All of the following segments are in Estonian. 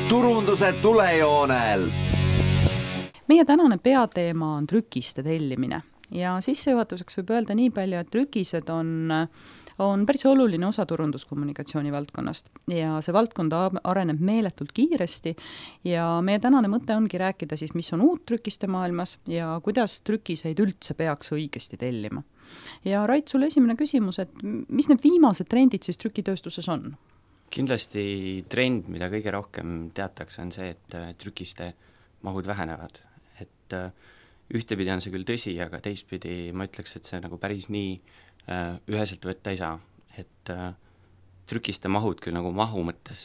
turunduse tulejoonel. Meie tänane peateema on trükiste tellimine ja sissejuhatuseks võib öelda nii palju, et trükised on päris oluline osa turunduskommunikatsiooni valdkonnast ja see valdkond areneb meeletult kiiresti ja meie tänane mõte ongi rääkida siis, mis on uut trükiste maailmas ja kuidas trükiseid üldse peaks õigesti tellima. Ja Rait, sulle esimene küsimus, et mis need viimased trendid siis trükitööstuses on? Kindlasti trend, mida kõige rohkem teatakse, on see, et trükiste mahud vähenevad. Et ühtepidi on see küll tõsi, aga teistpidi ma ütleks, et see nagu päris nii üheselt võtta ei saa. Et trükiste mahud küll nagu mahu mõttes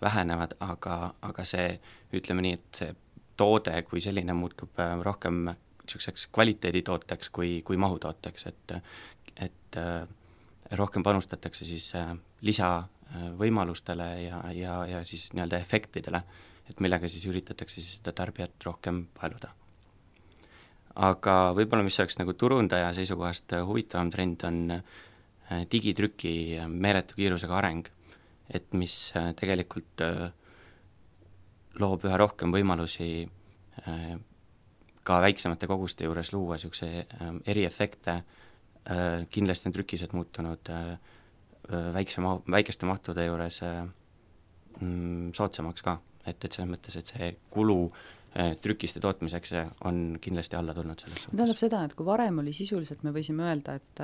vähenevad, aga see, ütleme nii, et see toode kui selline muutub rohkem niisuguseks kvaliteeditooteks kui mahutooteks, et rohkem panustatakse siis lisavõimalustele ja siis nii-öelda efektidele, et millega siis üritatakse siis seda tarbijat rohkem paeluda. Aga võib-olla, mis oleks nagu turundaja seisukohast huvitavam trend, on digitrüki meeletu kiirusega areng, et mis tegelikult loob üha rohkem võimalusi ka väiksemate koguste juures luua niisuguse eriefekte. Kindlasti on trükised muutunud väikeste mahtude juures soodsamaks ka, et selles mõttes, et see kulu trükiste tootmiseks on kindlasti alla tulnud selles suhtes. Tähendab seda, et kui varem oli sisuliselt, me võisime öelda, et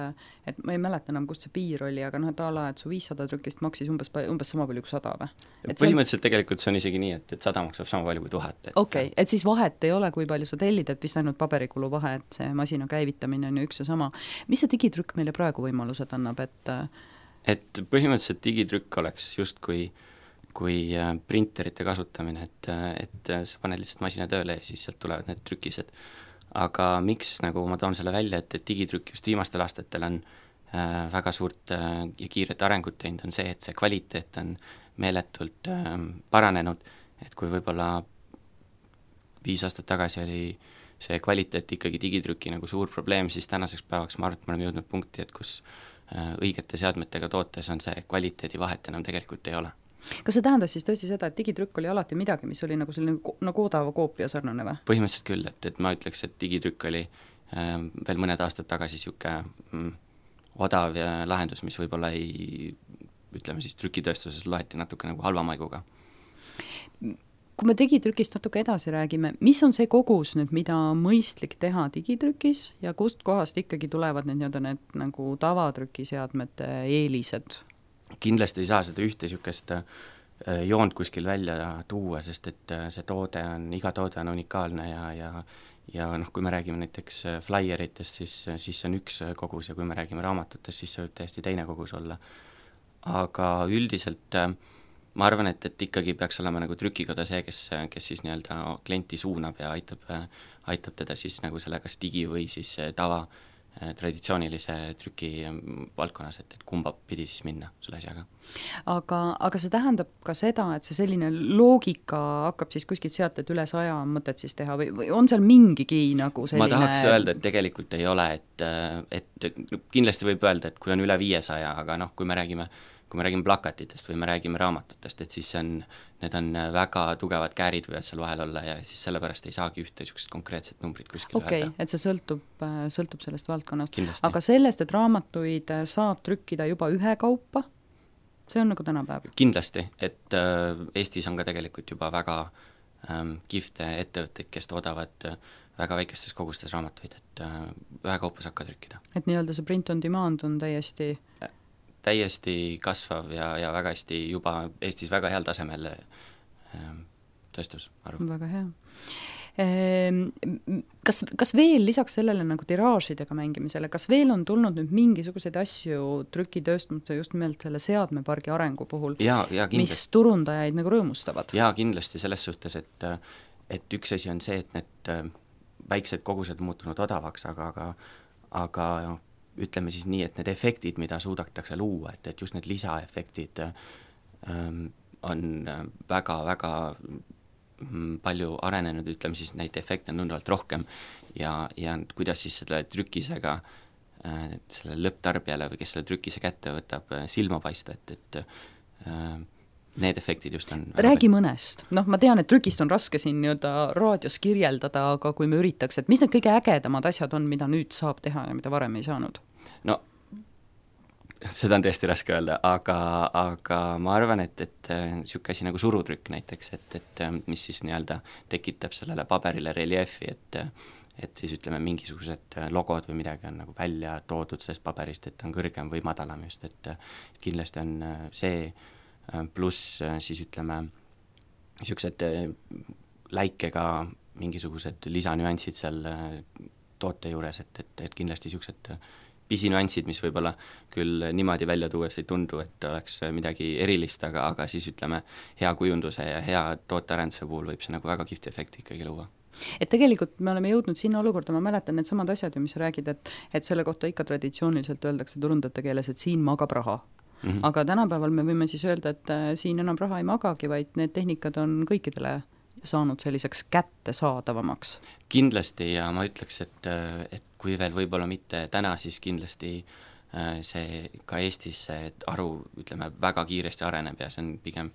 ma ei mäleta enam, kust see piir oli, aga et et su 500 trükist maksis umbes sama palju kui 100 või? Põhimõtteliselt tegelikult see on isegi nii, et 100 maksab sama palju kui 1000. Okei, et siis vahet ei ole, kui palju sa tellid, et vist ainult paberikulu vahe, et see masina käivitamine on ju üks ja sama. Mis see digitrükk meile praegu võimalused annab? Et põhimõtteliselt digitrükk oleks just kui printerite kasutamine, et sa paned lihtsalt masina tööle ja siis sealt tulevad need trükised. Aga miks nagu ma toon selle välja, et digitrükk just viimastel aastatel on väga suurt ja kiiret arengut teinud, on see, et see kvaliteet on meeletult paranenud, et kui võib-olla 5 aastat tagasi oli see kvaliteet ikkagi digitrüki nagu suur probleem, siis tänaseks päevaks ma arvan, et me oleme jõudnud punkti, et kus õigete seadmetega tootes on see kvaliteedi vahet enam tegelikult ei ole. Kas see tähendas siis tõesti seda, et digitrükk oli alati midagi, mis oli nagu selline nagu odava koopia sarnane või? Põhimõtteliselt küll, et ma ütleks, et digitrükk oli veel mõned aastad tagasi siuke odav lahendus, mis võib-olla ei, ütleme siis trükitööstuses loeti natuke nagu halva maiguga. Kui me digitrükist natuke edasi räägime, mis on see kogus nüüd, mida on mõistlik teha digitrükis ja kust kohast ikkagi tulevad need nagu tavatrükiseadmete eelised? Kindlasti ei saa seda ühte niisugust joont kuskil välja tuua, sest et see toode on, iga toode on unikaalne ja kui me räägime näiteks flyeritest, siis see on üks kogus ja kui me räägime raamatutest, siis see võib täiesti teine kogus olla. Aga üldiselt ma arvan, et ikkagi peaks olema nagu trükikoda see, kes siis nii-öelda klienti suunab ja aitab teda siis nagu selle kas digi või siis tava traditsioonilise trüki valdkonnas, et kumba pidi siis minna selle asjaga. Aga see tähendab ka seda, et see selline loogika hakkab siis kuskilt sealt, et üle 100 on mõtet siis teha või on seal mingigi nagu selline... Ma tahaks öelda, et tegelikult ei ole, et kindlasti võib öelda, et kui on üle 500, aga kui me räägime plakatitest või me räägime raamatutest, et siis need on väga tugevad käärid võivad seal vahel olla ja siis sellepärast ei saagi ühte niisugust konkreetset numbrit kuskil öelda. Et see sõltub sellest valdkonnast. Kindlasti. Aga sellest, et raamatuid saab trükkida juba ühe kaupa, see on nagu tänapäev? Kindlasti, et Eestis on ka tegelikult juba väga kihvte ettevõtteid, kes toodavad väga väikestes kogustes raamatuid, et ühe kaupa saab ka trükkida. Et nii-öelda see print on demand on täiesti kasvav ja väga hästi juba Eestis väga heal tasemel tööstus, arv. Väga hea. Kas veel lisaks sellele nagu tiraažidega mängimisele, kas veel on tulnud nüüd mingisuguseid asju trükitööstumuse just nimelt selle seadmepargi arengu puhul, mis turundajaid nagu rõõmustavad? Jaa, kindlasti selles suhtes, et üks asi on see, et need väiksed kogused muutunud odavaks, aga ütleme siis nii, et need efektid, mida suudatakse luua, et just need lisaefektid on väga-väga palju arenenud, ütleme siis neid efekte on tunduvalt rohkem ja kuidas siis selle trükisega selle lõpptarbijale või kes selle trükise kätte võtab silma paista, et need efektid just on räägi mõnest. Ma tean, et trükist on raske siin raadios kirjeldada, aga kui me üritaks, et mis need kõige ägedamad asjad on, mida nüüd saab teha ja mida varem ei saanud? No seda on tõesti raske öelda, aga ma arvan, et niisugune asi nagu surutrükk näiteks, et mis siis nii-öelda tekitab sellele paberile reljeefi, et siis ütleme, mingisugused logod või midagi on nagu välja toodud sellest paberist, et on kõrgem või madalam just, et kindlasti on see, pluss siis ütleme, niisugused läikega mingisugused lisanüansid seal toote juures, et kindlasti niisugused pisinüansid, mis võib-olla küll niimoodi välja tuues ei tundu, et oleks midagi erilist, aga siis ütleme, hea kujunduse ja hea tootearenduse puhul võib see nagu väga kihvti efekti ikkagi luua. Et tegelikult me oleme jõudnud sinna olukorda, ma mäletan need samad asjad ju, mis sa räägid, et selle kohta ikka traditsiooniliselt öeldakse turundajate keeles, et siin magab raha. Aga tänapäeval me võime siis öelda, et siin enam raha ei magagi, vaid need tehnikad on kõikidele saanud selliseks kättesaadavamaks. Kindlasti ja ma ütleks, et kui veel võib-olla mitte täna, siis kindlasti see ka Eestis see aru, ütleme, väga kiiresti areneb ja see on pigem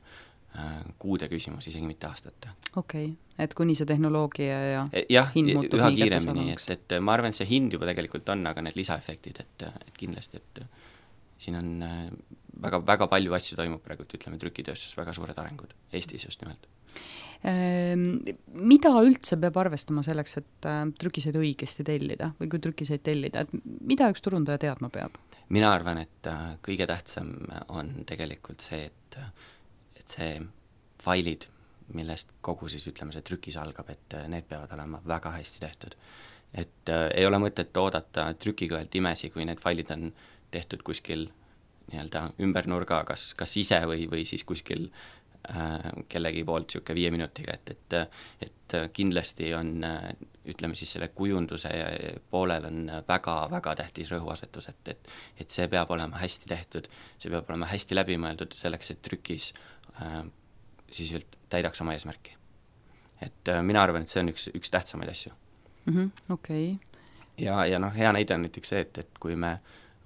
kuude küsimus, isegi mitte aastate. Okei, et kuni see tehnoloogia ja hind muutub üha kiiremini, et ma arvan, et see hind juba tegelikult on, aga need lisaefektid, et kindlasti, et siin on väga, väga palju asju toimub praegu, ütleme, trükitööstus, väga suured arengud Eestis just nimelt. Mida üldse peab arvestama selleks, et trükiseid õigesti tellida või kui trükiseid tellida, et mida üks turundaja teadma peab? Mina arvan, et kõige tähtsam on tegelikult see, et see failid, millest kogu siis ütleme, see trükis algab, et need peavad olema väga hästi tehtud. Et ei ole mõtet oodata trükikõelt imesi, kui need failid on tehtud kuskil nii-öelda ümber nurga, kas ise või siis kuskil kellegi poolt niisugune 5 minutiga, et kindlasti on, ütleme siis selle kujunduse poolel on väga-väga tähtis rõhuasetus, et see peab olema hästi tehtud, see peab olema hästi läbimõeldud selleks, et trükis siis täidaks oma eesmärki. Et mina arvan, et see on üks tähtsamaid asju. Okei. Ja hea näide on näiteks see, et kui me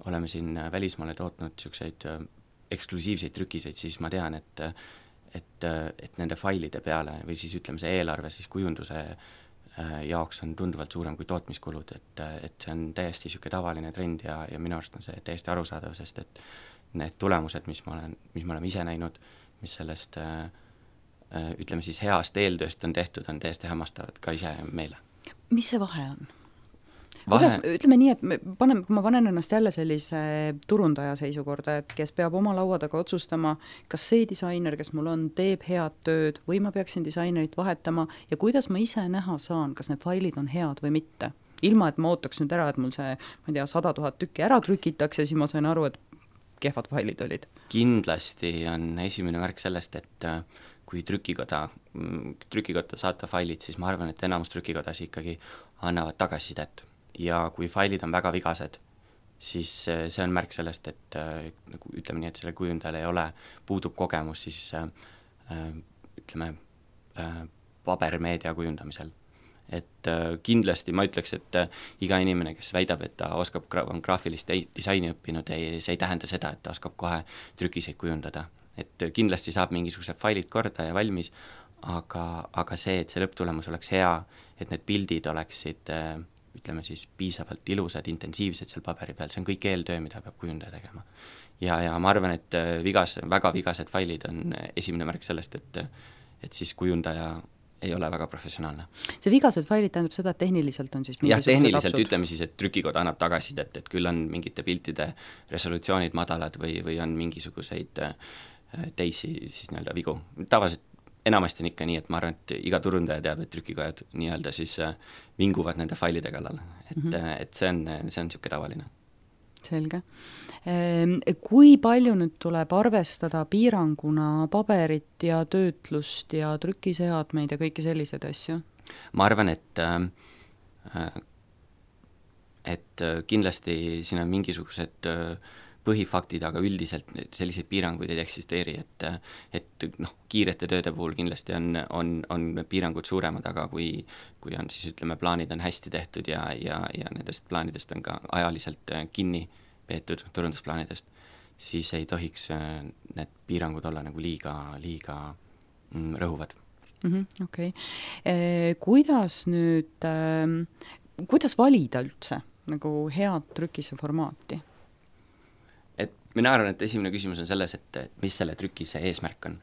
oleme siin välismaale tootnud niisuguseid eksklusiivseid trükiseid, siis ma tean, et nende failide peale või siis ütleme, see eelarve siis kujunduse jaoks on tunduvalt suurem kui tootmiskulud, et see on täiesti niisugune tavaline trend ja minu arust on see täiesti arusaadav, sest et need tulemused, mis me oleme ise näinud, mis sellest ütleme siis heast eeltööst on tehtud, on täiesti hämmastavad ka ise meile. Mis see vahe on? Kuidas, ütleme nii, et kui ma panen ennast jälle sellise turundaja seisukorda, et kes peab oma laua taga otsustama, kas see disainer, kes mul on, teeb head tööd või ma peaksin disainerit vahetama ja kuidas ma ise näha saan, kas need failid on head või mitte. Ilma, et ma ootaks nüüd ära, et mul see, ma ei tea, 100 000 tükki ära trükitakse, siis ma sain aru, et kehvad failid olid. Kindlasti on esimene märk sellest, et kui trükikotta saata failid, siis ma arvan, et enamus trükikodas ikkagi annavad tagasisidet. Ja kui failid on väga vigased, siis see on märk sellest, et ütleme nii, et selle kujundajal puudub kogemus siis ütleme pabermeedia kujundamisel. Et kindlasti ma ütleks, et iga inimene, kes väidab, et ta on graafilist disaini õppinud, see ei tähenda seda, et ta oskab kohe trükiseid kujundada. Et kindlasti saab mingisugused failid korda ja valmis, aga see, et see lõpptulemus oleks hea, et need pildid oleksid ütleme siis piisavalt ilusad, intensiivsed seal paberi peal, see on kõik eeltöö, mida peab kujundaja tegema. Ja ma arvan, et väga vigased failid on esimene märk sellest, et siis kujundaja ei ole väga professionaalne. See vigased failid tähendab seda, et tehniliselt on siis mingisugused tehniliselt lapsud. Ütleme siis, et trükikoda annab tagasisidet, et küll on mingite piltide resolutsioonid madalad või on mingisuguseid teisi siis nii-öelda vigu. Tavaliselt enamasti on ikka nii, et ma arvan, et iga turundaja teab, et trükikojad nii-öelda siis vinguvad nende failide kallal. Et see on niisugune tavaline. Selge. Kui palju nüüd tuleb arvestada piiranguna paberit ja töötlust ja trükiseadmeid ja kõiki selliseid asju? Ma arvan, et kindlasti siin on mingisugused põhifaktid, aga üldiselt selliseid piiranguid ei eksisteeri, et kiirete tööde puhul kindlasti on piirangud suuremad, aga kui on siis ütleme, plaanid on hästi tehtud ja nendest plaanidest on ka ajaliselt kinni peetud turundusplaanidest, siis ei tohiks need piirangud olla nagu liiga rõhuvad. Okei. Kuidas nüüd, kuidas valida üldse nagu head trükise formaati? Et mina arvan, et esimene küsimus on selles, et mis selle trükise eesmärk on.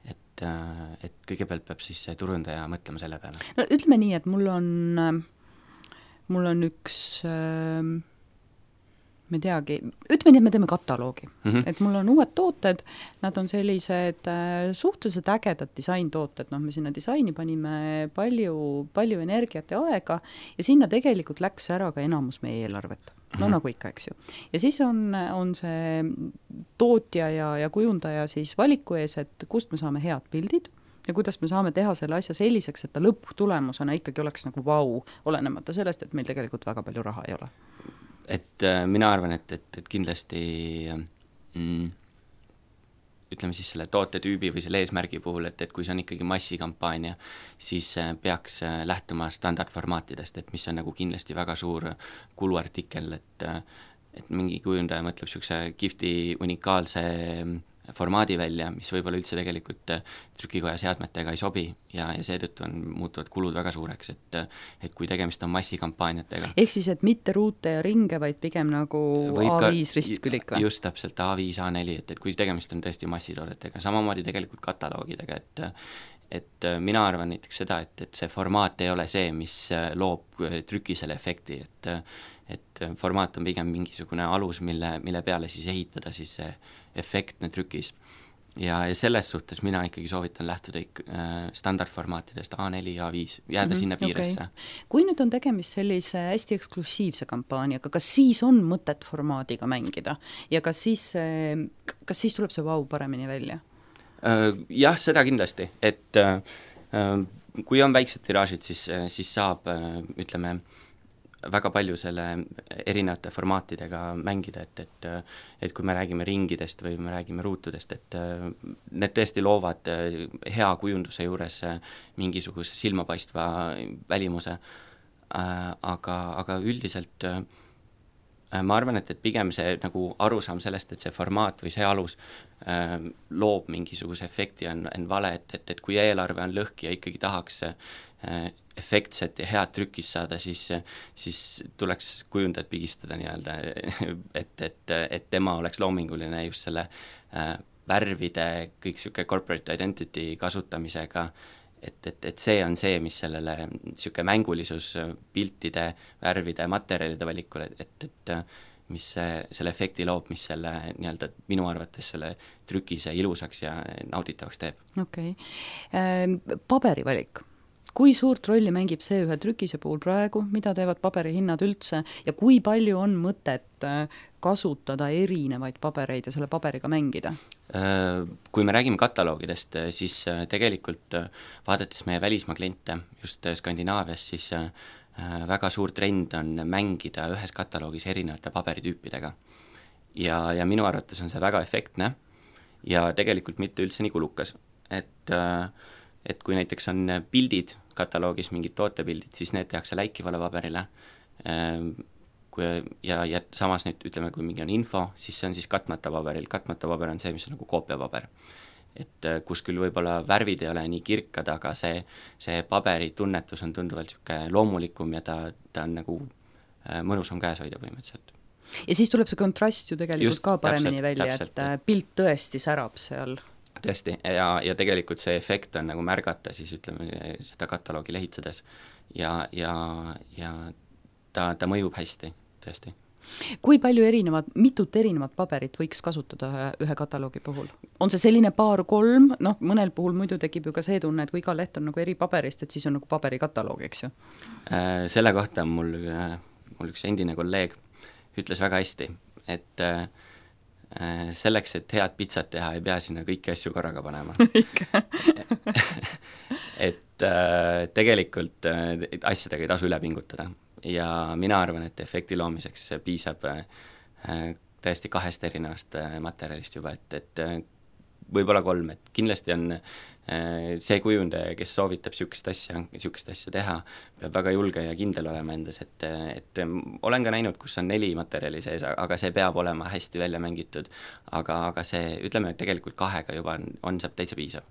Et kõigepealt peab siis see turundaja mõtlema selle peale. No ütleme nii, et mul on üks me teagi, ütleme nii, et me teeme kataloogi. Et mul on uued tooted, nad on sellised suhteliselt ägedad disaintooted, me sinna disaini panime palju energiat ja aega ja sinna tegelikult läks ära ka enamus meie eelarvet. No nagu ikka, eks ju. Ja siis on see tootja ja kujundaja siis valiku ees, et kust me saame head pildid ja kuidas me saame teha selle asja selliseks, et ta lõpptulemusena ikkagi oleks nagu vau, olenemata sellest, et meil tegelikult väga palju raha ei ole. Et mina arvan, et kindlasti ütleme siis selle tootetüübi või selle eesmärgi puhul, et kui see on ikkagi massikampaania, siis peaks lähtuma standardformaatidest, et mis on nagu kindlasti väga suur kuluartikkel, et mingi kujundaja mõtleb niisuguse kihvti unikaalse formaadi välja, mis võib-olla üldse tegelikult trükikoja seadmetega ei sobi ja seetõttu muutuvad kulud väga suureks, et kui tegemist on massikampaaniatega. Ehk siis, et mitte ruute ja ringe, vaid pigem nagu A5 ristkülik või? Just täpselt, A5, A4, et kui tegemist on tõesti massitoodetega, samamoodi tegelikult kataloogidega, et mina arvan näiteks seda, et see formaat ei ole see, mis loob trükisele efekti, et formaat on pigem mingisugune alus, mille peale siis ehitada siis see efektne trükis. Ja selles suhtes mina ikkagi soovitan lähtuda standardformaatidest A4 ja A5, jääda sinna piiresse. Okay. Kui nüüd on tegemist sellise hästi eksklusiivse kampaaniaga, kas siis on mõtet formaadiga mängida ja kas siis tuleb see vau paremini välja? Jah, seda kindlasti, et kui on väiksed tiraažid, siis saab, ütleme, väga palju selle erinevate formaatidega mängida, et kui me räägime ringidest või me räägime ruutudest, et need tõesti loovad hea kujunduse juures mingisuguse silmapaistva välimuse, aga üldiselt ma arvan, et pigem see nagu arusaam sellest, et see formaat või see alus loob mingisuguse efekti on vale, et kui eelarve on lõhki ja ikkagi tahaks efektset ja head trükis saada, siis tuleks kujundajad pigistada nii-öelda, et tema oleks loominguline just selle värvide, kõik niisugune corporate identity kasutamisega, et see on see, mis sellele niisugune mängulisus piltide, värvide, materjalide valikule, et mis selle efekti loob, mis selle nii-öelda minu arvates selle trükise ilusaks ja nauditavaks teeb. Okei. Paberivalik. Kui suurt rolli mängib see ühe trükise puhul praegu, mida teevad paberihinnad üldse ja kui palju on mõtet kasutada erinevaid pabereid ja selle paberiga mängida? Kui me räägime kataloogidest, siis tegelikult vaadates meie välismaa kliente just Skandinaavias, siis väga suur trend on mängida ühes kataloogis erinevate paberitüüpidega. Ja minu arvates on see väga efektne ja tegelikult mitte üldse nii kulukas, et kui näiteks on pildid kataloogis, mingid tootepildid, siis need tehakse läikivale paberile ja samas nüüd ütleme, kui mingi on info, siis see on siis katmata paberil, katmata paber on see, mis on nagu koopiapaber. Et kus küll võib-olla värvid ei ole nii kirkad, aga see paberi tunnetus on tunduvalt loomulikum ja ta on nagu mõnusam käes hoida põhimõtteliselt. Ja siis tuleb see kontrast ju tegelikult just, ka paremini välja, täpselt, et pilt tõesti särab seal. Tõesti, ja tegelikult see efekt on nagu märgata siis ütleme seda kataloogi lehitsedes ja ta mõjub hästi, tõesti. Kui palju mitut erinevat paberit võiks kasutada ühe kataloogi puhul? On see selline 2-3, mõnel puhul muidu tekib ju ka see tunne, et kui iga leht on nagu eri paberist, et siis on nagu paberikataloog, eks ju? Selle kohta mul üks endine kolleeg ütles väga hästi, et selleks, et head pitsat teha, ei pea sinna kõiki asju korraga panema. et tegelikult asjadega ei tasu üle pingutada ja mina arvan, et efekti loomiseks piisab täiesti 2 erinevast materjalist juba, et võib-olla 3, et kindlasti on see kujundaja, kes soovitab niisugust asja teha, peab väga julge ja kindel olema endas, et olen ka näinud, kus on 4 materjali sees, aga see peab olema hästi välja mängitud, aga see, ütleme, et tegelikult 2 juba saab täitsa piisav.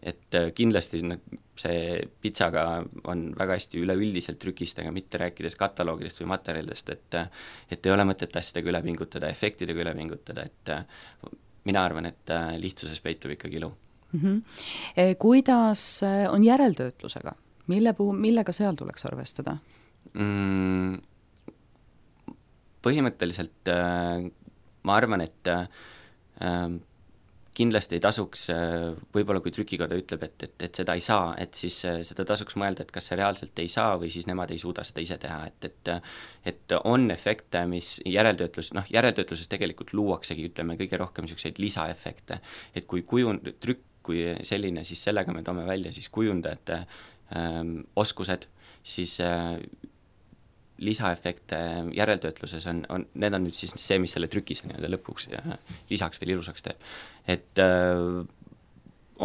Et kindlasti see pitsaga on väga hästi üleüldiselt trükistega, mitte rääkides kataloogidest või materjalidest, et ei ole mõtet asjadega üle pingutada, efektidega üle pingutada, et mina arvan, et lihtsuses peitub ikkagi ilu. Kuidas on järeltöötlusega? Millega seal tuleks arvestada? Põhimõtteliselt ma arvan, et kindlasti ei tasuks, võib-olla kui trükikoda ütleb, et seda ei saa, et siis seda tasuks mõelda, et kas see reaalselt ei saa või siis nemad ei suuda seda ise teha, et on efekte, mis järeltöötluses tegelikult luuaksegi, ütleme, kõige rohkem niisuguseid lisaefekte, et kui trükk kui selline, siis sellega me toome välja siis kujundajate oskused, siis lisaefekte järeltöötluses need on nüüd siis see, mis selle trükise nii-öelda lõpuks lisaks veel ilusaks teeb. Et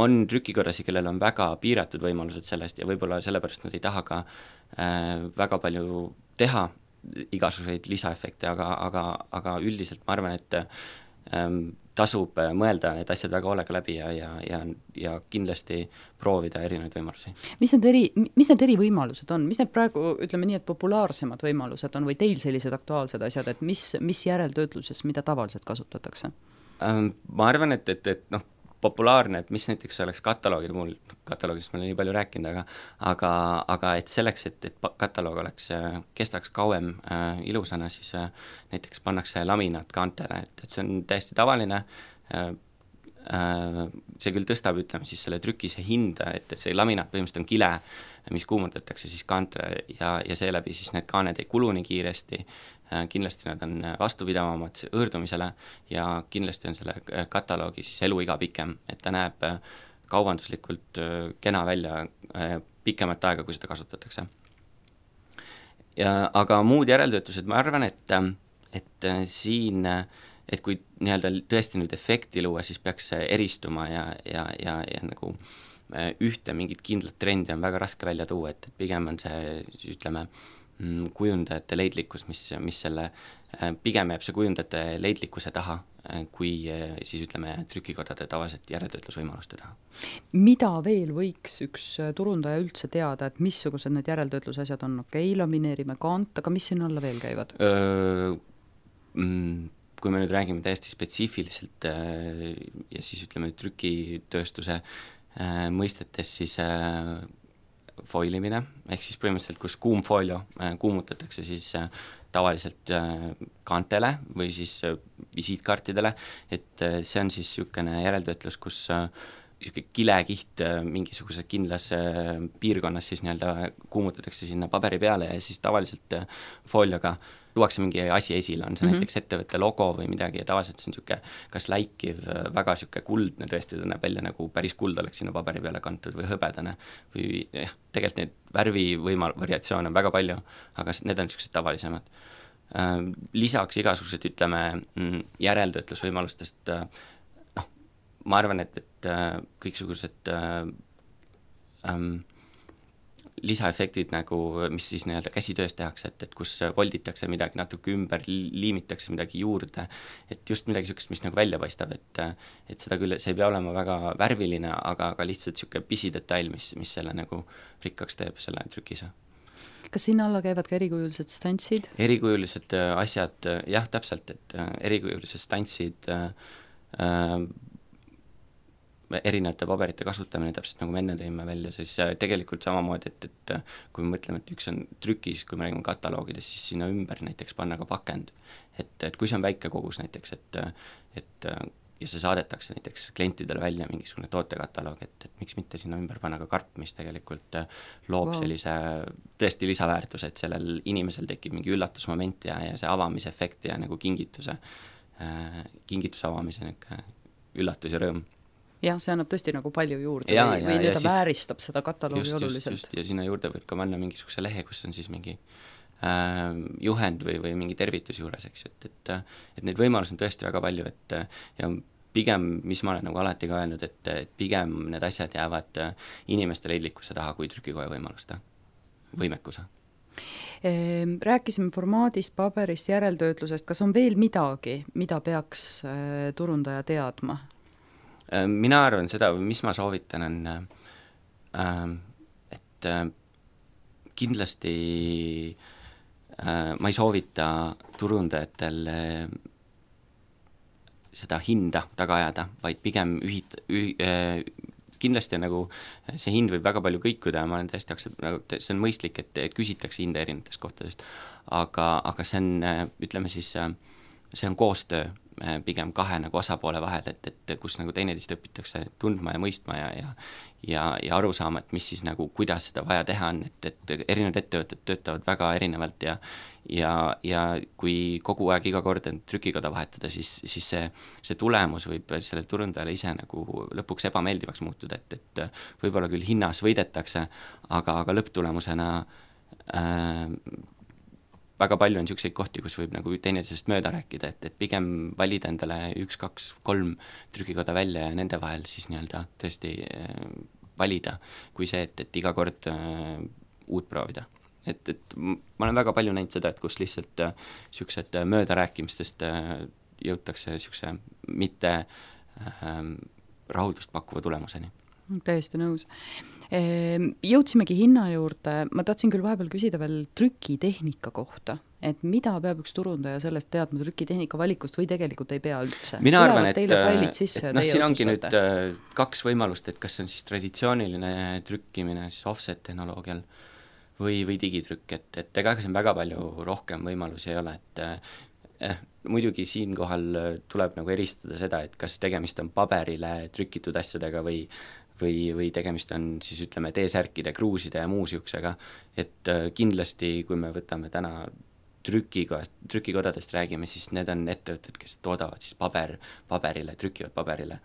on trükikodasid, kellel on väga piiratud võimalused sellest ja võib-olla sellepärast nad ei taha ka väga palju teha igasuguseid lisaefekte, aga üldiselt ma arvan, et tasub mõelda need asjad väga hoolega läbi ja kindlasti proovida erinevaid võimalusi. Mis need eri võimalused on? Mis need praegu, ütleme nii, et populaarsemad võimalused on või teil sellised aktuaalsed asjad, et mis järeltöötluses, mida tavaliselt kasutatakse? Ma arvan, et populaarne, et mis näiteks oleks kataloogide muul, kataloogist ma olen nii palju rääkinud, aga et selleks, et kataloog kestaks kauem ilusana, siis näiteks pannakse laminaat kaantele, et see on täiesti tavaline, see küll tõstab, ütleme siis selle trükise hinda, et see laminaat põhimõtteliselt on kile, mis kuumutatakse siis kaantele ja seeläbi siis need kaaned ei kulu nii kiiresti, kindlasti nad on vastupidavamad õõrdumisele ja kindlasti on selle kataloogi siis eluiga pikem, et ta näeb kaubanduslikult kena välja pikemat aega, kui seda kasutatakse. Aga muud järeltöötlused, ma arvan, et siin, et kui nii-öelda tõesti nüüd efekti luua, siis peaks eristuma ja nagu ühte mingit kindlat trendi on väga raske välja tuua, et pigem on see, ütleme, kujundajate leidlikkus, mis selle, pigem jääb see kujundajate leidlikkuse taha, kui siis ütleme trükikodade tavaliselt järeltöötlusvõimaluste taha. Mida veel võiks üks turundaja üldse teada, et missugused need järeltöötlusasjad on? Lamineerime kaant, aga mis sinna alla veel käivad? Kui me nüüd räägime täiesti spetsiifiliselt ja siis ütleme trükitööstuse mõistetes, siis foilimine, ehk siis põhimõtteliselt, kus kuumfoolio kuumutatakse siis tavaliselt kaantele või siis visiitkaartidele, et see on siis niisugune järeltöötlus, kus kilekiht mingisuguse kindlas piirkonnas siis nii-öelda kuumutatakse sinna paberi peale ja siis tavaliselt foolioga luuakse mingi asi esile, on see näiteks ettevõtte logo või midagi ja tavaliselt see on niisugune kas läikiv, väga niisugune kuldne, tõesti ta näeb välja nagu päris kuld oleks sinna paberi peale kantud või hõbedane või tegelikult neid värvivariatsioone on väga palju, aga need on niisugused tavalisemad. Lisaks igasugused, ütleme, järeltöötlusvõimalustest, ma arvan, et kõiksugused lisaefektid nagu, mis siis nii-öelda käsitöös tehakse, et kus volditakse midagi natuke ümber, liimitakse midagi juurde, et just midagi niisugust, mis nagu välja paistab, et seda küll, see ei pea olema väga värviline, aga lihtsalt niisugune pisidetail, mis selle nagu rikkaks teeb selle trükise. Kas sinna alla käivad ka erikujulised stantsid? Erikujulised asjad, jah, täpselt, et erikujulised stantsid, erinevate paberite kasutamine, täpselt nagu me enne tõime välja, siis tegelikult samamoodi, et kui me mõtleme, et üks on trükis, kui me räägime kataloogides, siis sinna ümber näiteks panna ka pakend. Et kui see on väike kogus näiteks, et ja see saadetakse näiteks klientidele välja mingisugune tootekataloog, et miks mitte sinna ümber panna ka karp, mis tegelikult loob sellise tõesti lisaväärtuse, et sellel inimesel tekib mingi üllatusmoment ja see avamise efekt ja nagu kingituse avamise üllatus ja rõõm. Jah, see annab tõesti nagu palju juurde või nii-öelda vääristab seda kataloogi oluliselt. Just, ja sinna juurde võib ka panna mingisuguse lehe, kus on siis mingi juhend või mingi tervitus juures, eks ju, et neid võimalusi on tõesti väga palju, et ja pigem, mis ma olen nagu alati ka öelnud, et pigem need asjad jäävad inimeste leidlikkuse taha kui trükikoja võimaluste, võimekuse. Rääkisime formaadist, paberist, järeltöötlusest, kas on veel midagi, mida peaks turundaja teadma? Mina arvan seda, mis ma soovitan, on, et kindlasti ma ei soovita turundajatel seda hinda taga ajada, vaid pigem kindlasti on nagu see hind võib väga palju kõikuda ja ma olen täiesti see on mõistlik, et küsitakse hinda erinevatest kohtadest, aga see on, ütleme siis, see on koostöö pigem kahe nagu osapoole vahel, et kus nagu teineteist õpitakse tundma ja mõistma ja aru saama, et mis siis nagu, kuidas seda vaja teha on, et erinevad ettevõtted töötavad väga erinevalt ja kui kogu aeg iga kord trükikoda vahetada, siis see tulemus võib sellele turundajale ise nagu lõpuks ebameeldivaks muutuda, et võib-olla küll hinnas võidetakse, aga lõpptulemusena väga palju on niisuguseid kohti, kus võib nagu teineteisest mööda rääkida, et pigem valida endale 1, 2, 3 trükikoda välja ja nende vahel siis nii-öelda tõesti valida, kui see, et iga kord uut proovida. Et ma olen väga palju näinud seda, et kus lihtsalt niisugused möödarääkimistest jõutakse niisuguse mitte rahuldust pakkuva tulemuseni. Täiesti nõus. Jõudsimegi hinna juurde, ma tahtsin küll vahepeal küsida veel trükitehnika kohta, et mida peab üks turundaja sellest teadma trükitehnika valikust või tegelikult ei pea üldse? Mina arvan, et siin ongi nüüd 2 võimalust, et kas on siis traditsiooniline trükkimine siis offset tehnoloogial või digitrükk, et ega siin väga palju rohkem võimalusi ei ole, et muidugi siinkohal tuleb nagu eristada seda, et kas tegemist on paberile trükitud asjadega või tegemist on siis ütleme T-särkide, kruuside ja muu siuksega, et kindlasti kui me võtame täna trükikodadest räägime, siis need on ettevõtted, kes toodavad siis paberile, trükivad paberile,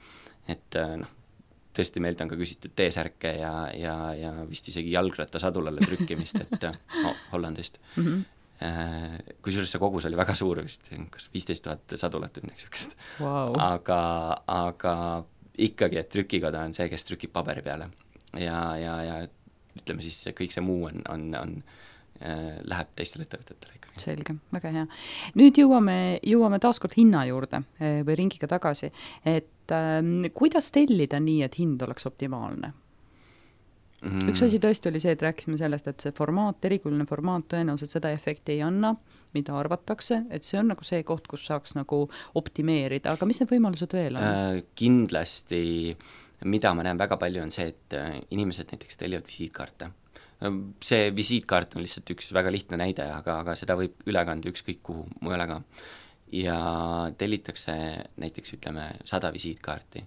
et tõesti meilt on ka küsitud T-särke ja vist isegi jalgrattasadulale trükkimist, et Hollandist. Kusjuures see kogus oli väga suur, vist kas 15 000 sadulat või niisugust. Wow. Aga ikkagi, et trükikoda on see, kes trükib paberi peale ja ütleme siis kõik see muu on läheb teistele ettevõtetele ikkagi. Selge, väga hea. Nüüd jõuame taaskord hinna juurde või ringiga tagasi, et kuidas tellida nii, et hind oleks optimaalne? Üks asi tõesti oli see, et rääkisime sellest, et see formaat, erikuline formaat tõenäoliselt seda efekti ei anna, mida arvatakse, et see on nagu see koht, kus saaks nagu optimeerida, aga mis need võimalused veel on? Kindlasti, mida ma näen väga palju, on see, et inimesed näiteks tellivad visiitkaarte. See visiitkaart on lihtsalt üks väga lihtne näide, aga seda võib üle kanda ükskõik kuhu mujale ka. Ja tellitakse näiteks ütleme 100 visiitkaarti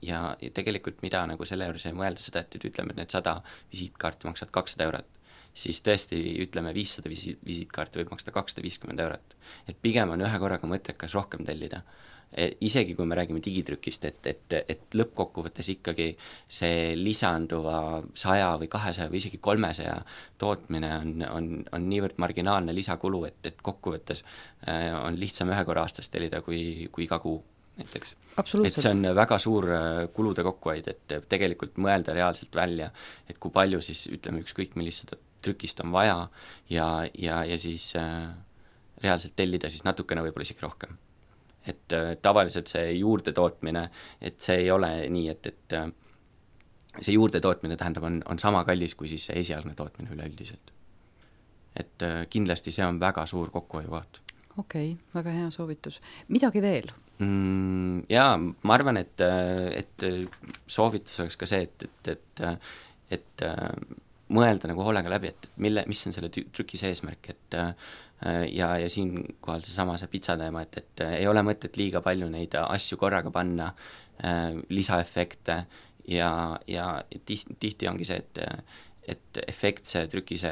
ja tegelikult mida nagu selle juures ei mõelda seda, et ütleme, et need 100 visiitkaarti maksavad 200 eurot, siis tõesti ütleme 500 visiitkaarti võib maksta 250 eurot. Et pigem on ühe korraga mõttekas rohkem tellida. Isegi kui me räägime digitrükist, et lõppkokkuvõttes ikkagi see lisanduva 100 või 200 või isegi 300 tootmine on niivõrd marginaalne lisakulu, et kokkuvõttes on lihtsam ühe korra aastas tellida kui iga kuu näiteks. Et see on väga suur kulude kokkuhoid, et tegelikult mõelda reaalselt välja, et kui palju siis ütleme ükskõik millised trükist on vaja ja siis reaalselt tellida siis natukene võib-olla isegi rohkem. Et tavaliselt see juurde tootmine, et see ei ole nii, et see juurde tootmine tähendab on sama kallis kui siis see esialgne tootmine üleüldiselt. Et kindlasti see on väga suur kokkuhoiukoht. Okei, väga hea soovitus. Midagi veel? Jaa, ma arvan, et soovitus oleks ka see, et mõelda nagu hoolega läbi, et mis on selle trükis eesmärk, et ja siinkohal see pitsateema, et ei ole mõtet liiga palju neid asju korraga panna, lisaefekte ja tihti ongi see, et efektse trükise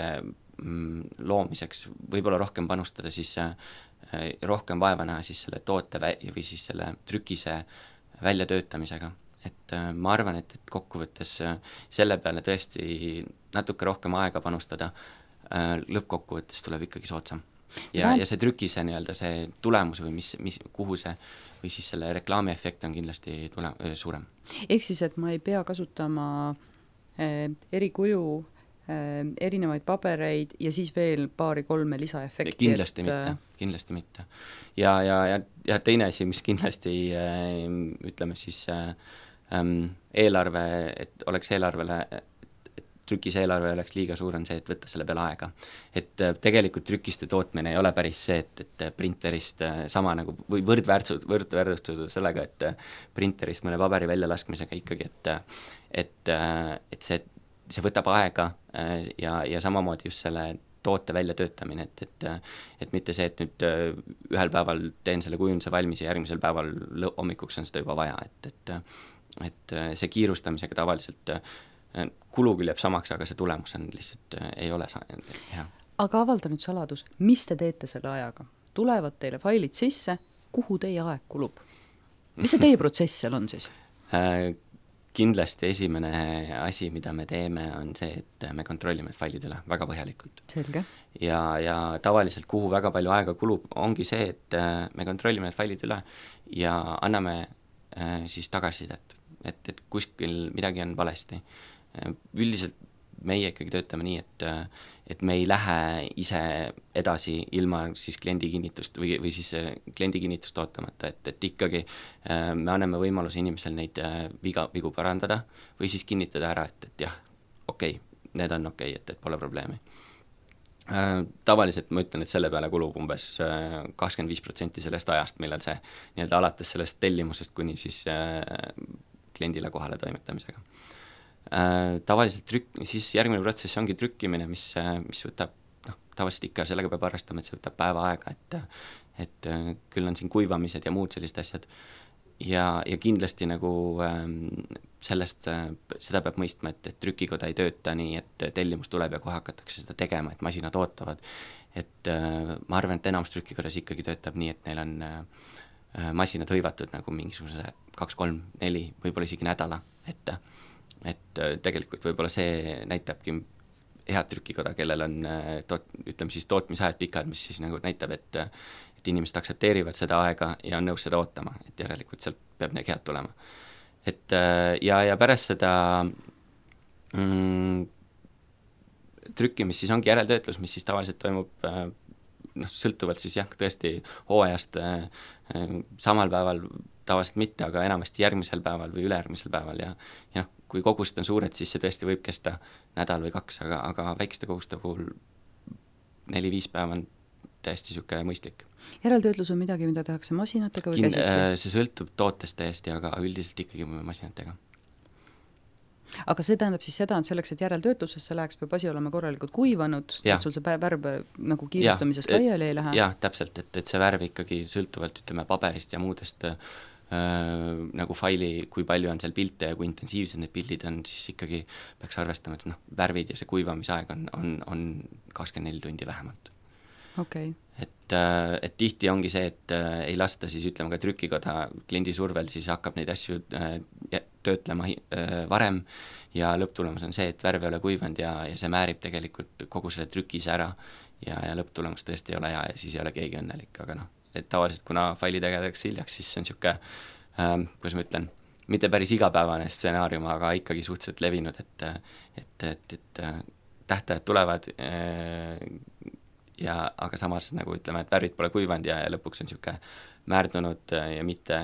loomiseks võib-olla rohkem panustada, siis rohkem vaeva näha siis selle toote või siis selle trükise väljatöötamisega. Et ma arvan, et kokkuvõttes selle peale tõesti natuke rohkem aega panustada, lõppkokkuvõttes tuleb ikkagi soodsam. ja see trükise nii-öelda see tulemus või kuhu see või siis selle reklaami efekt on kindlasti suurem. Ehk siis, et ma ei pea kasutama eri kuju, erinevaid pabereid ja siis veel 2-3 lisaefekti. Kindlasti mitte. Ja teine asi, mis kindlasti ütleme siis eelarve, et oleks eelarvele, trükise eelarve oleks liiga suur, on see, et võtta selle peale aega. Et tegelikult trükiste tootmine ei ole päris see, et printerist sama nagu või võrdväärtustada sellega, et printerist mõne paberi väljalaskmisega ikkagi, et see võtab aega ja samamoodi just selle toote väljatöötamine, et mitte see, et nüüd ühel päeval teen selle kujunduse valmis ja järgmisel päeval hommikuks on seda juba vaja, et see kiirustamisega tavaliselt kulu küll jääb samaks, aga see tulemus on lihtsalt ei ole hea. Aga avalda nüüd saladus, mis te teete selle ajaga? Tulevad teile failid sisse, kuhu teie aeg kulub? Mis see teie protsess seal on siis? Kindlasti esimene asi, mida me teeme, on see, et me kontrollime failid üle väga põhjalikult. Selge. Ja tavaliselt, kuhu väga palju aega kulub, ongi see, et me kontrollime need failid üle ja anname siis tagasisidet, et kuskil midagi on valesti. Üldiselt meie ikkagi töötame nii, et me ei lähe ise edasi ilma siis kliendi kinnitust või siis kliendi kinnitust ootamata, et ikkagi me anname võimaluse inimesel neid vigu parandada või siis kinnitada ära, et jah, okei, need on okei, et pole probleemi. Tavaliselt ma ütlen, et selle peale kulub umbes 25% sellest ajast, millal see nii-öelda alates sellest tellimusest kuni siis kliendile kohale toimetamisega. Tavaliselt siis järgmine protsess ongi trükkimine, mis võtab, tavaliselt ikka sellega peab arvestama, et see võtab päeva aega, et küll on siin kuivamised ja muud sellised asjad ja kindlasti nagu seda peab mõistma, et trükikoda ei tööta nii, et tellimus tuleb ja kohe hakatakse seda tegema, et masinad ootavad, et ma arvan, et enamus trükikodas ikkagi töötab nii, et neil on masinad hõivatud nagu mingisuguse 2, 3, 4, võib-olla isegi nädala, et tegelikult võib-olla see näitabki head trükikoda, kellel on ütleme siis tootmisajad pikad, mis siis nagu näitab, et inimesed aksepteerivad seda aega ja on nõus seda ootama, et järelikult sealt peab need head tulema. Et ja pärast seda trükkimist siis ongi järeltöötlus, mis siis tavaliselt toimub sõltuvalt siis jah, tõesti hooajast samal päeval tavaliselt mitte, aga enamasti järgmisel päeval või ülejärgmisel päeval ja kui kogused on suured, siis see tõesti võib kesta nädal või 2, aga väikeste koguste puhul 4-5 päeva on täiesti niisugune mõistlik. Järeltöötlus on midagi, mida tehakse masinatega või käsitsi? See sõltub tootest täiesti, aga üldiselt ikkagi masinatega. Aga see tähendab siis seda, et selleks, et järeltöötlusesse läheks, peab asi olema korralikult kuivanud, et sul see värv nagu kiirustamisest laiali ei lähe? Jah, täpselt, et see värv ikkagi sõltuvalt, ütleme, paberist ja muudest nagu faili, kui palju on seal pilte ja kui intensiivsed need pildid on, siis ikkagi peaks arvestama, et värvid ja see kuivamisaeg on 24 tundi vähemalt. Okay. Et tihti ongi see, et ei lasta siis ütleme ka trükikoda kliendi survel, siis hakkab neid asju töötlema varem ja lõpptulemus on see, et värv ei ole kuivanud ja see määrib tegelikult kogu selle trükise ära ja lõpptulemus tõesti ei ole hea ja siis ei ole keegi õnnelik, aga et tavaliselt kuna faili tegedaks hiljaks, siis see on niisugune, kuidas ma ütlen, mitte päris igapäevane stsenaarium, aga ikkagi suhteliselt levinud, et tähtajad tulevad aga samas nagu ütleme, et värvid pole kuivanud ja lõpuks on niisugune määrdunud ja mitte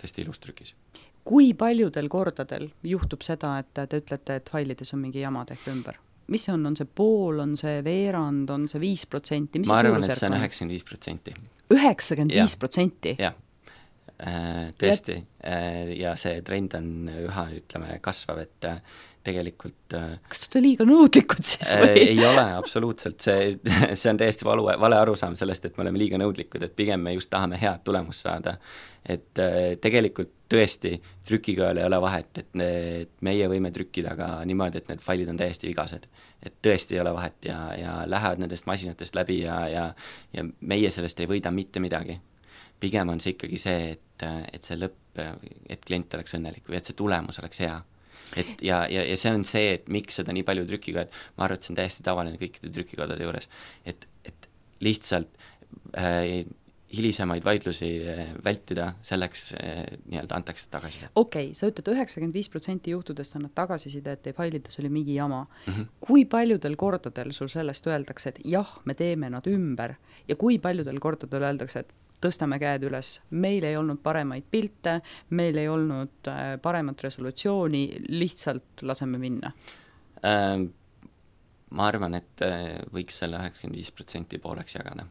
tõesti ilus trükis. Kui paljudel kordadel juhtub seda, et te ütlete, et failides on mingi jama tehke ümber? Mis see on see pool, on see veerand, on see 5%? Ma arvan, et see on 95%. 95%? Jah, tõesti. Ja see trend on üha, ütleme, kasvav, et tegelikult kas te olete liiga nõudlikud siis või? Ei ole, absoluutselt. See on täiesti vale arusaam sellest, et me oleme liiga nõudlikud, et pigem me just tahame head tulemust saada. Et tegelikult tõesti trükikojal ei ole vahet, et meie võime trükkida ka niimoodi, et need failid on täiesti vigased. Et tõesti ei ole vahet ja lähevad nendest masinatest läbi ja meie sellest ei võida mitte midagi. Pigem on see ikkagi see, et see lõpp, et klient oleks õnnelik või et see tulemus oleks hea. Ja see on see, et miks seda nii palju trükikojad, ma arvan, et see on täiesti tavaline kõikide trükikodade juures, et lihtsalt hilisemaid vaidlusi vältida, selleks nii-öelda antakse tagasiside. Okei, sa ütled 95% juhtudest annad tagasiside, et failides oli mingi jama. Kui paljudel kordadel sul sellest öeldakse, et jah, me teeme nad ümber ja kui paljudel kordadel öeldakse, et tõstame käed üles, meil ei olnud paremaid pilte, meil ei olnud paremat resolutsiooni, lihtsalt laseme minna? Ma arvan, et võiks selle 95% pooleks jagada.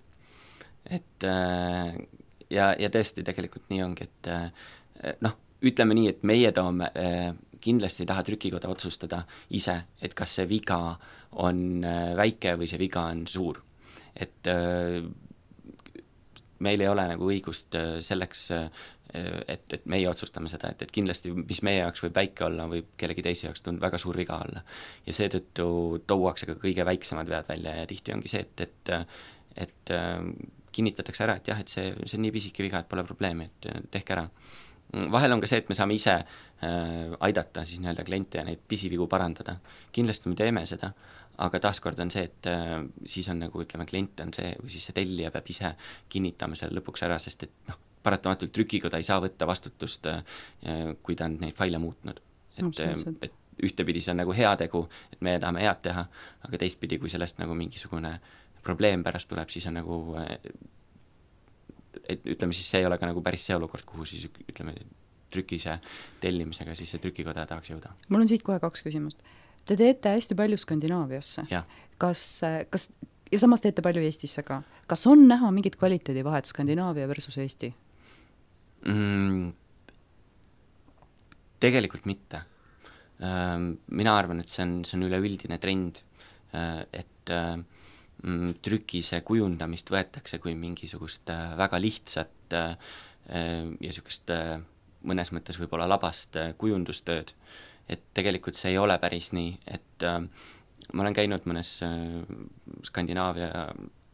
Et ja tõesti tegelikult nii ongi, et ütleme nii, et meie toome, kindlasti ei taha trükikoda otsustada ise, et kas see viga on väike või see viga on suur. Et meil ei ole nagu õigust selleks, et meie otsustame seda, et kindlasti, mis meie jaoks võib väike olla, võib kellegi teise jaoks väga suur viga olla. Ja seetõttu tuuakse ka kõige väiksemad vead välja ja tihti ongi see, et kinnitatakse ära, et jah, et see on nii pisike viga, et pole probleemi, et tehke ära. Vahel on ka see, et me saame ise aidata siis nii-öelda kliente ja neid pisivigu parandada. Kindlasti me teeme seda, aga taaskord on see, et siis on nagu, ütleme, klient on see, või siis see tellija peab ise kinnitama selle lõpuks ära, sest et paratamatult trükikoda ei saa võtta vastutust, kui ta on neid faile muutnud. Et ühtepidi see on nagu heategu, et me tahame head teha, aga teistpidi, kui sellest nagu mingisugune probleem pärast tuleb, siis on nagu, et ütleme siis see ei ole ka nagu päris see olukord, kuhu siis ütleme trükise tellimisega siis see trükikoda tahaks jõuda. Mul on siit kohe 2 küsimust. Te teete hästi palju Skandinaaviasse. Kas ja samas teete palju Eestisse ka. Kas on näha mingit kvaliteedivahet Skandinaavia versus Eesti? Tegelikult mitte. Mina arvan, et see on üleüldine trend, et trükise kujundamist võetakse kui mingisugust väga lihtsat ja niisugust mõnes mõttes võib-olla labast kujundustööd. Et tegelikult see ei ole päris nii, et ma olen käinud mõnes Skandinaavia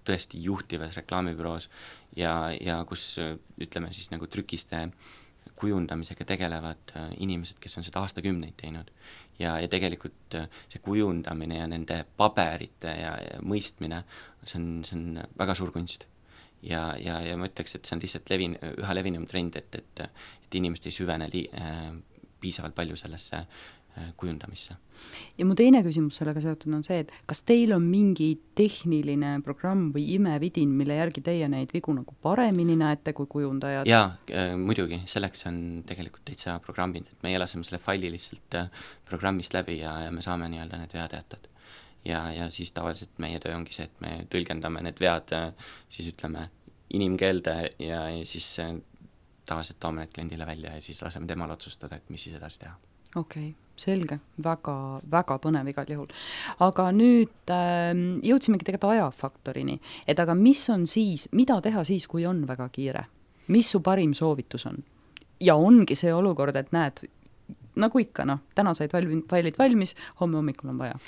tõesti juhtivas reklaamibüroos ja kus ütleme siis nagu trükiste kujundamisega tegelevad inimesed, kes on seda aastakümneid teinud. Ja tegelikult see kujundamine ja nende paberite ja mõistmine, see on väga suur kunst. Ja ma ütleks, et see on lihtsalt üha levinum trend, et inimesed ei süvene piisavalt palju sellesse kujundamisse. Ja mu teine küsimus sellega seotud on see, et kas teil on mingi tehniline programm või imevidin, mille järgi teie neid vigu nagu paremini näete kui kujundajad? Jaa, muidugi, selleks on tegelikult täitsa programmid, et meie laseme selle faili lihtsalt programmist läbi ja me saame nii-öelda need veateatad. Ja siis tavaliselt meie töö ongi see, et me tõlgendame need vead siis ütleme inimkeelde ja siis tavaliselt toome need kliendile välja ja siis laseme temal otsustada, et mis siis edasi teha. Okei, selge, väga, väga põnev igal juhul. Aga nüüd jõudsimegi tegelikult ajafaktorini, et aga mis on siis, mida teha siis, kui on väga kiire? Mis su parim soovitus on? Ja ongi see olukord, et näed, nagu ikka, täna said failid valmis, homme hommikul on vaja.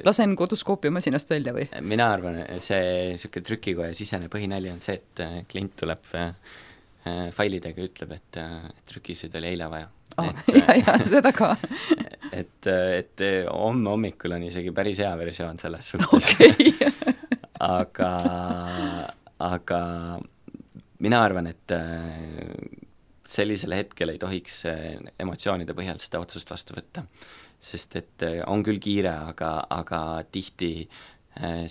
Lasen kodus koopiamasinast välja või? Mina arvan, see niisugune trükikoja sisene põhinäli on see, et klient tuleb failidega ütleb, et trükisid oli eile vaja. Ja, seda ka. et homme hommikul on isegi päris hea versioon selles suhtes. aga mina arvan, et sellisel hetkel ei tohiks emotsioonide põhjal seda otsust vastu võtta, sest et on küll kiire, aga tihti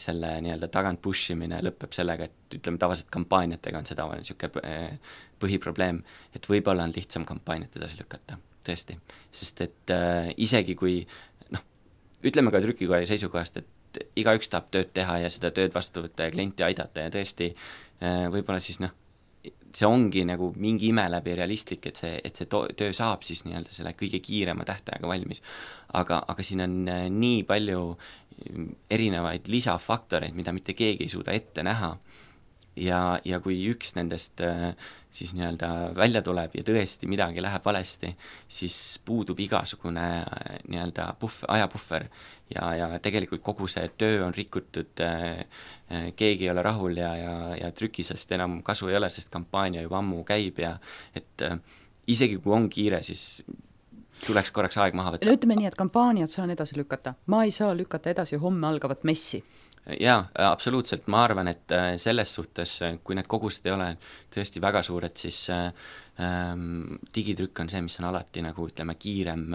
selle nii-öelda tagant pushimine lõpeb sellega, et ütleme tavaliselt kampaaniatega on seda niisugune põhiprobleem, et võib-olla on lihtsam kampaaniat edasi lükata, tõesti. Sest et isegi kui, ütleme ka trükikoja seisukohast, et igaüks tahab tööd teha ja seda tööd vastu võtta ja klienti aidata ja tõesti võib-olla siis see ongi nagu mingi ime läbi realistlik, et see töö saab siis nii-öelda selle kõige kiirema tähtaega valmis. Aga siin on nii palju erinevaid lisafaktoreid, mida mitte keegi ei suuda ette näha. Ja kui üks nendest siis nii-öelda välja tuleb ja tõesti midagi läheb valesti, siis puudub igasugune nii-öelda ajapuhver ja tegelikult kogu see töö on rikutud, keegi ei ole rahul ja trükisest enam kasu ei ole, sest kampaania juba ammu käib ja et isegi kui on kiire, siis tuleks korraks aeg maha võtta. Ütleme nii, et kampaaniat saan edasi lükata. Ma ei saa lükata edasi homme algavat messi. Jaa, absoluutselt, ma arvan, et selles suhtes, kui need kogused ei ole tõesti väga suured, siis digitrükk on see, mis on alati nagu ütleme kiirem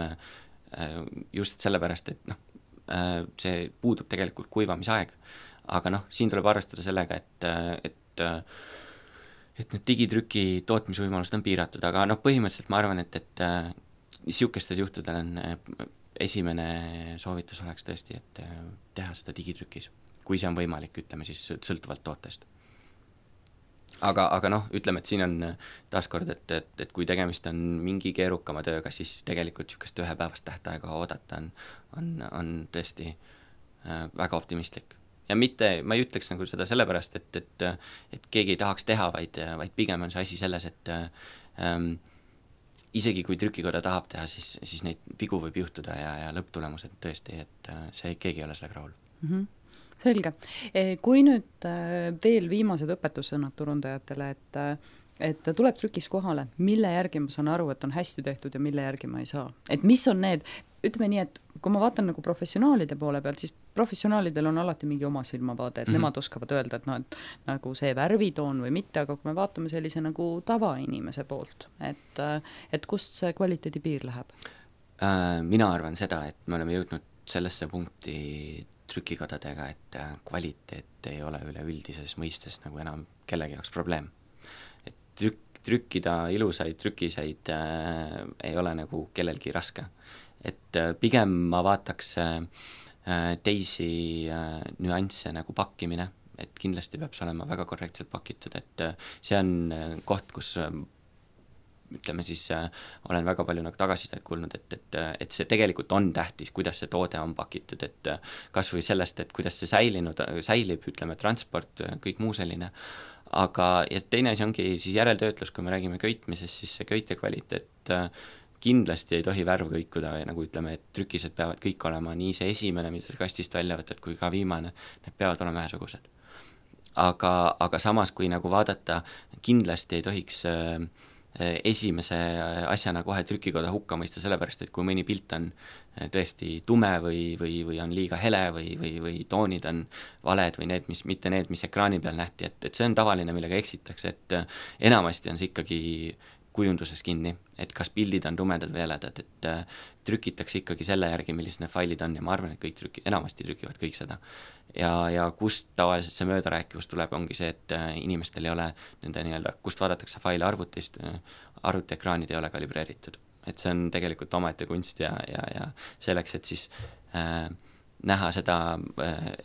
just sellepärast, et noh, see puudub tegelikult kuivamisaeg. Aga noh, siin tuleb arvestada sellega, et need digitrüki tootmisvõimalused on piiratud, aga noh, põhimõtteliselt ma arvan, et niisugustel juhtudel on esimene soovitus oleks tõesti, et teha seda digitrükis, kui see on võimalik, ütleme siis sõltuvalt tootest. Aga noh, ütleme, et siin on taaskord, et kui tegemist on mingi keerukama tööga, siis tegelikult niisugust ühepäevast tähtaega oodata on tõesti väga optimistlik. Ja mitte, ma ei ütleks nagu seda sellepärast, et keegi ei tahaks teha, vaid pigem on see asi selles, et isegi kui trükikoda tahab teha, siis neid vigu võib juhtuda ja lõpptulemused tõesti, et see keegi ei ole sellega rahul. Selge. Kui nüüd veel viimased õpetussõnad turundajatele, et tuleb trükis kohale, mille järgi ma saan aru, et on hästi tehtud ja mille järgi ma ei saa. Et mis on need, ütleme nii, et kui ma vaatan nagu professionaalide poole pealt, siis professionaalidel on alati mingi oma silmavaade, et nemad oskavad öelda, et noh, et nagu see värvitoon või mitte, aga kui me vaatame sellise nagu tavainimese poolt, et kust see kvaliteedi piir läheb? Mina arvan seda, et me oleme jõudnud sellesse punkti trükikodadega, et kvaliteet ei ole üleüldises mõistes nagu enam kellegi jaoks probleem. Et trükkida ilusaid trükiseid ei ole nagu kellelgi raske. Et pigem ma vaataks teisi nüansse nagu pakkimine, et kindlasti peab see olema väga korrektselt pakitud, et see on koht, kus ütleme siis, olen väga palju nagu tagasisidet kuulnud, et see tegelikult on tähtis, kuidas see toode on pakitud, et kas või sellest, et kuidas see säilib, ütleme, transport, kõik muu selline. Aga ja teine asi ongi siis järeltöötlus, kui me räägime köitmisest, siis see köite kvaliteet kindlasti ei tohi värv kõikuda, nagu ütleme, et trükised peavad kõik olema nii see esimene, mida kastist välja võtad, kui ka viimane, need peavad olema ühesugused. Aga samas, kui nagu vaadata, kindlasti ei tohiks esimese asjana kohe trükikoda hukka mõista, sellepärast, et kui mõni pilt on tõesti tume või on liiga hele või toonid on valed või mitte need, mis ekraani peal nähti, et see on tavaline, millega eksitakse, et enamasti on see ikkagi kujunduses kinni, et kas pildid on tumedad või heledad, et trükitakse ikkagi selle järgi, millised need failid on ja ma arvan, et kõik enamasti trükivad kõik seda. Ja kust tavaliselt see möödarääkivus tuleb, ongi see, et inimestel ei ole nende nii-öelda, kust vaadatakse faile arvutist, arvutiekraanid ei ole kalibreeritud. Et see on tegelikult omaette kunst ja selleks, et siis näha seda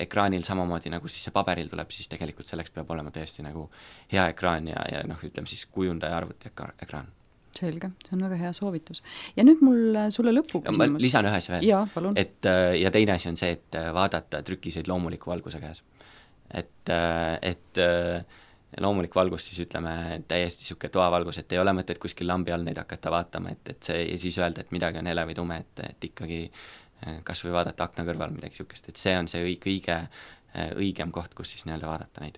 ekraanil samamoodi, nagu siis see paberil tuleb, siis tegelikult selleks peab olema tõesti nagu hea ekraan ja noh, ütleme siis kujundaja arvuti ekraan. Selge, see on väga hea soovitus. Ja nüüd mul sulle lõpu küsimus. Ma lisan ühes veel, ja teine asi on see, et vaadata trükiseid loomuliku valguse käes. Et loomulik valgus siis ütleme täiesti siuke toavalgus, et ei ole mõtet kuskil lambi all neid hakata vaatama, et see ja siis öelda, et midagi on hele või tume, et ikkagi kas või vaadata akna kõrval midagi siukest, et see on see kõige õigem koht, kus siis nii-öelda vaadata neid.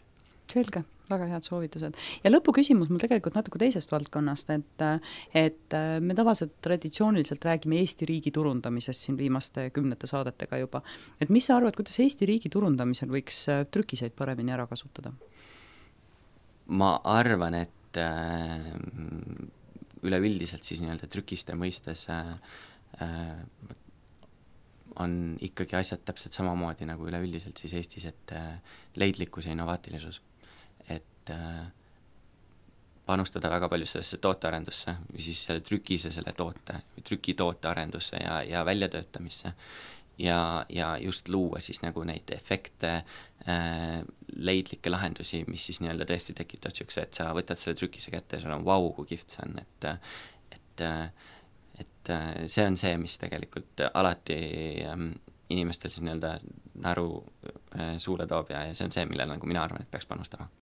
Selge, väga head soovitused. Ja lõpuküsimus mul tegelikult natuke teisest valdkonnast, et me tavaliselt traditsiooniliselt räägime Eesti riigi turundamisest siin viimaste 10 saadetega juba. Et mis sa arvad, kuidas Eesti riigi turundamisel võiks trükiseid paremini ära kasutada? Ma arvan, et üleüldiselt siis nii-öelda trükiste mõistes on ikkagi asjad täpselt samamoodi nagu üleüldiselt siis Eestis, et leidlikkus ja innovaatilisus. Et panustada väga palju sellesse tootearendusse või siis selle trükise selle toote või trükitoote arendusse ja väljatöötamisse ja just luua siis nagu neid efekte, leidlikke lahendusi, mis siis nii-öelda tõesti tekitab siukse, et sa võtad selle trükise kätte ja sul on vau, kui kihvt see on, et see on see, mis tegelikult alati inimestel siis nii-öelda naru suule toob ja see on see, millele nagu mina arvan, et peaks panustama.